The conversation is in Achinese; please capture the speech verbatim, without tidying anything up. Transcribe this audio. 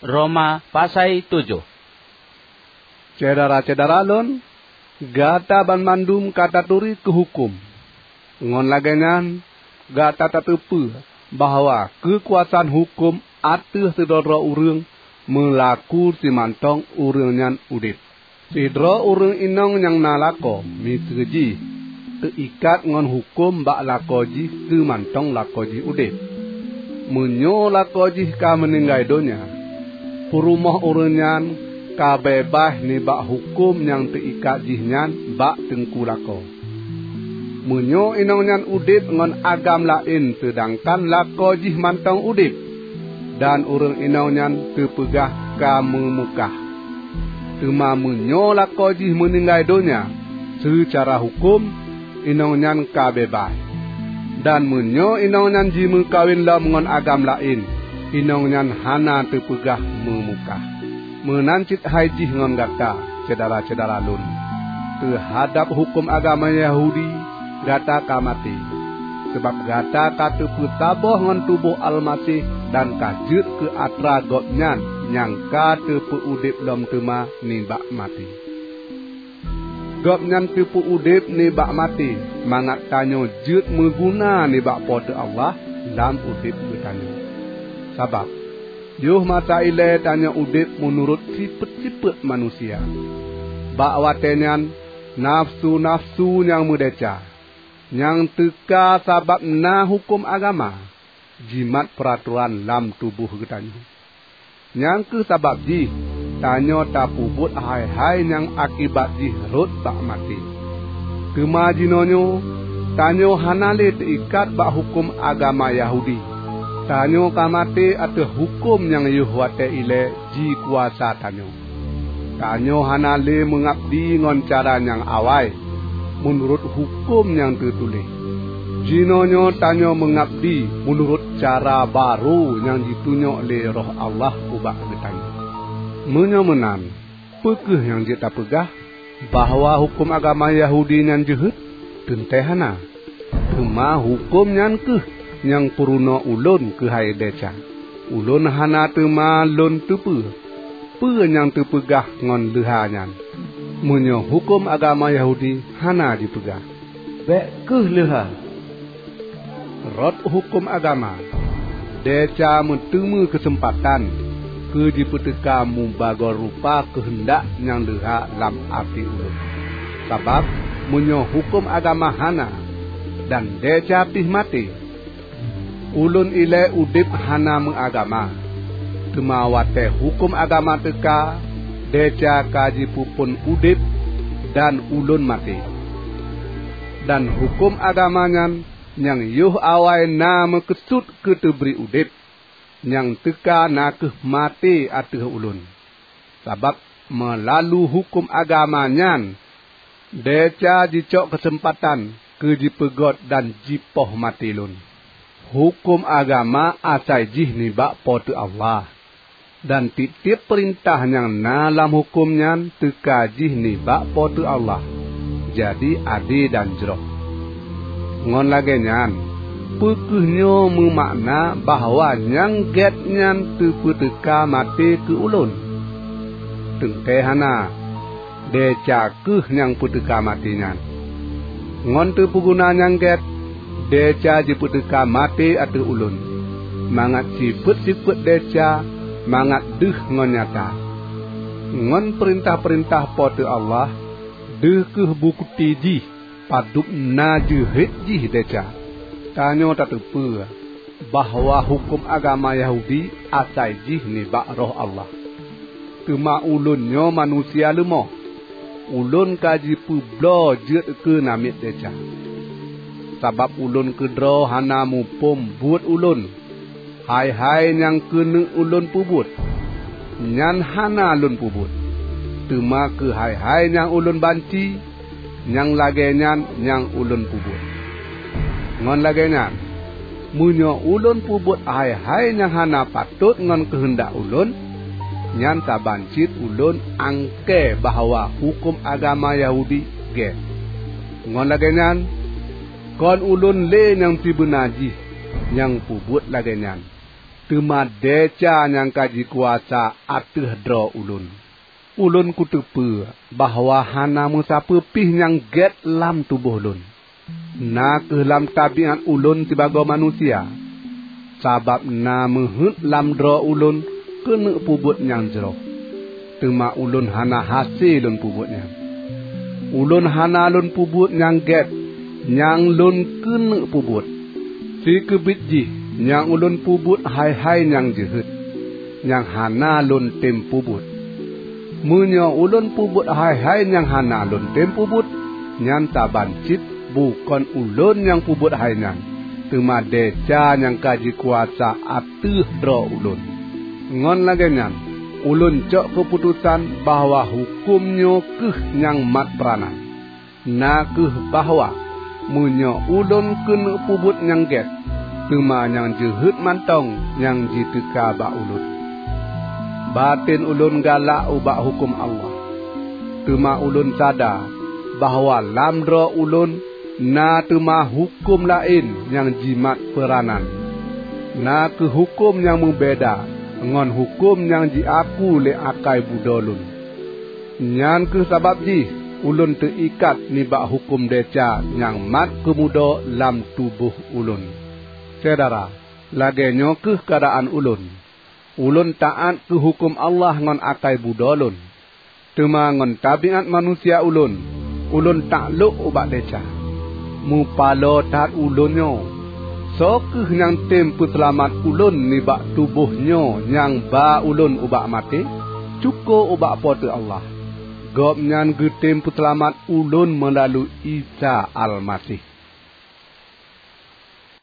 Roma pasai tujoh. Syedara-syedara lôn, gata banmandum ka taturi keu huköm. Ngon lagée nyan, gata tateupeue bahwa keukuasaan huköm ateueh sidroe-droe ureuëng meulaku simantong ureuëng nyan udeb. Sidroe ureuëng inong nyang na lakoe miseue jih teuikat ngon huköm bak lakoe jih seumantong lakoe jih udeb. Meunyoe lakoe jih ka meuninggai donya, peurumoh ureuëng nyan ka beubaih nibak huköm nyang teuikat jih nyan bak teungku lakoe. Meunyoe inong nyan udeb ngon agam laén seudangkan lakoe jih mantong udeb, dan ureuëng inong nyan teupeugah ka meumukah. Teuma meunyoe lakoe jih meuninggai donya, seucara huköm, inong nyan ka beubaih. Dan meunyoe inong nyan jimeukawen lom ngon agam laén, inong nyan hana teupeugah meumukah. Meunan cit hai jih ngon gata, syedara-syedara lôn. Teuhadab huköm agama Yahudi, gata ka maté, sabab gata ka teupeusaboh ngon tuboh Almaseh dan ka jeuet keu atra Gobnyan nyang ka teupeu-udeb lom teuma nibak maté. Gobnyan teupeu-udeb nibak maté mangat tanyoe jeuet meuguna nibak Po teu Allah lam udeb geutanyoe. Sabab, yoh masa ilée tanyoe udeb meunurot sifeuet-sifeuet manusia. Bak watée nyan, nafeusu-nafeusu nyang meudesya, nyang teuka sabab na huköm agama, jimat peuratoran lam tuboh geutanyoe. Nyang kheueh sabab jih tanyoe tapeubuet hai-hai nyang akibat jih rhot bak maté. Teuma jinoenyoe tanyoe hana lé teuikat bak huköm agama Yahudi. Tanyoe ka maté ateueh huköm nyang yoh watée ilée jikuasa tanyoe. Tanyoe hana lé meungabdi ngon cara nyang awai, meunurot huköm nyang teutuléh. Jinoenyoe tanyoe meungabdi meunurot cara barô nyang jitunyok lé Roh Allah ubak geutanyoe. Meunyoe meunan, peu kheueh nyang jeuet tapeugah bahwa huköm agama Yahudi nyan jeuhet? Teuntée hana! Teuma huköm nyan kheueh nyang peurunoe ulôn keuhai desya. Ulôn hana teuma lôn teupeue peue nyang teupeugah ngon leuha nyan. Meunyoe huköm agama Yahudi hana jipeugah, "Bék kheueh leuha," rot huköm agama, desya meuteumé keuseumpatan keu jipeuteuka mubagoe rupa keuheundak nyang leuha lam até ulôn. Sabab meunyoe huköm agama hana, dan desya pih maté, ulôn ilée udeb hana meuagama. Teuma watée huköm agama teuka, desya ka jipeuphon udeb dan ulôn maté. Dan huköm agama nyan nyang yoh awai na meukeusut keu teubri udeb, nyang teuka na kheueh maté ateueh ulôn. Sabab meulalu huköm agama nyan, desya jicok keuseumpatan keu jipeugét dan jipoh maté lôn. Huköm agama asai jih nibak Po teu Allah, dan tieb-tieb peurintah nyang na lam huköm nyan teuka jih nibak Po teu Allah, jadi ade dan jroh. Ngon lagée nyan, peu kheueh nyoe meumakna bahwa nyang gét nyan teupeuteuka maté keu ulôn? Teuntée hana! Desya kheueh nyang peuteuka maté nyan. Ngon teupeuguna nyang gét, desya jipeuteuka maté ateueh ulôn, mangat sifeuet-sifeuet desya mangat deuh ngon nyata. Ngon peurintah-peurintah Po teu Allah, deuh kheueh bukeuti jih padub na jeuhet jih desya. Tanyoe tateupeue bahwa huköm agama Yahudi asai jih nibak Roh Allah. Teuma ulôn nyoe manusia leumoh, ulôn ka jipeubloe jeuet keu namiet desya. Sabab ulôn keudroe hana muphom buet ulôn. Hai-hai nyang keuneuk ulôn peubuet, nyan hana lôn peubuet. Teuma keu hai-hai nyang ulôn banci, nyang lagée nyan nyang ulôn peubuet. Ngon lagée nyan, meunyoe ulôn peubuet hai-hai nyang hana patot ngon keuheundak ulôn, nyan saban cit ulôn angkée bahwa huköm agama Yahudi gét. Ngon lagée nyan, kon ulôn lé nyang sibeuna jih nyang peubuet lagée nyan. teuma desya nyang ka jikuasa ateueh droe ulôn. Ulôn kuteupeue bahwa hana meusapeue pih nyang gét lam tuboh lôn. Na kheueh lam tabiát ulôn sibagoe manusia, sabab na meuheuét lam droe ulôn keuneuk peubuet nyang jroh, teuma ulôn hana hase lôn peubuet nyan. Ulôn hana lôn peubuet nyang gét nyang lôn keuneuk peubuet. Sikeubiet jih nyang ulôn peubuet hai-hai nyang jeuhet, nyang hana lôn tem peubuet. Meunyoe ulôn peubuet hai-hai nyang hana lôn tem peubuet, nyan saban cit bukon ulôn nyang peubuet hai nyan, teuma desya nyang ka jikuasa ateueh droe ulôn. Ngon lagée nyan, ulôn cok keuputosan bahwa huköm nyoe kheueh nyang mat peuranan, na kheueh bahwa meunyoe ulôn keuneuk peubuet nyang gét, teuma nyang jeuhet mantong nyang jiteuka bak ulôn. Baten ulôn galak ubak huköm Allah, teuma ulôn sada bahwa lam droe ulôn na teuma huköm laén nyang jimat peuranan, na kheueh huköm nyang meubeda ngon huköm nyang jiaku lé akai budoe lôn. Nyan kheueh sabab jih ulôn teuikat nibak huköm desya nyang mat keumudo lam tuboh ulôn. Syedara, lagée nyoe kheueh keuadaan ulôn. Ulôn taát keu huköm Allah ngon akai budoe lôn, teuma ngon tabiát manusia ulôn, ulôn taklok ubak desya. Meupaloe that ulôn nyoe! Soe kheueh nyang tem peuseulamat ulôn nibak tuboh nyoe nyang ba ulôn ubak maté? Syukoe ubak Po teu Allah, Gobnyan geutem peuseulamat ulôn meulalu Isa Almaseh.